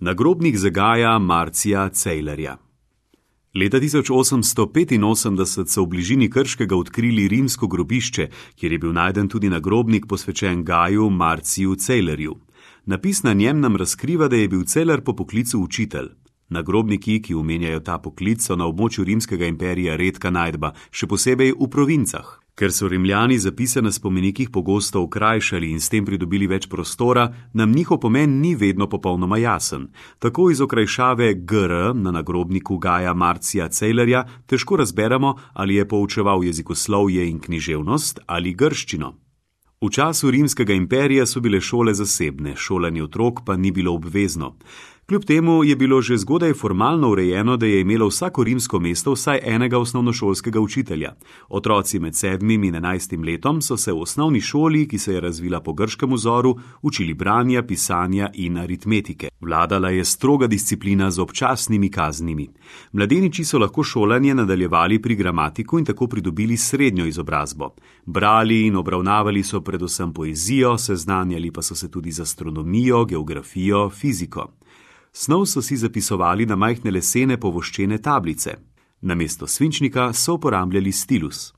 Nagrobnik za Gaja Marcija Celerja. Leta 1885 so v bližini Krškega odkrili rimsko grobišče, kjer je bil najden tudi nagrobnik posvečen Gaju Marciju Celerju. Napis na njem nam razkriva, da je bil Celer po poklicu učitelj. Nagrobniki, ki omenjajo ta poklic, so na območju rimskega imperija redka najdba, še posebej v provincah. Ker so Rimljani zapise na spomenikih pogosto okrajšali in s tem pridobili več prostora, nam njihov pomen ni vedno popolnoma jasen. Tako iz okrajšave GR na nagrobniku Gaja Marcija Celerja težko razberemo, ali je poučeval jezikoslovje in književnost ali grščino. V času rimskega imperija so bile šole zasebne, šolanje otrok pa ni bilo obvezno. Kljub temu je bilo že zgodaj formalno urejeno, da je imelo vsako rimsko mesto vsaj enega osnovnošolskega učitelja. Otroci med 7. in 11. letom so se v osnovni šoli, ki se je razvila po grškem vzoru, učili branja, pisanja in aritmetike. Vladala je stroga disciplina z občasnimi kaznimi. Mladeniči so lahko šolanje nadaljevali pri gramatiku in tako pridobili srednjo izobrazbo. Brali in obravnavali so predvsem poezijo, seznanjali pa so se tudi z astronomijo, geografijo, fiziko. Snov so si zapisovali na majhne lesene povoščene tablice. Namesto svinčnika so uporabljali stilus.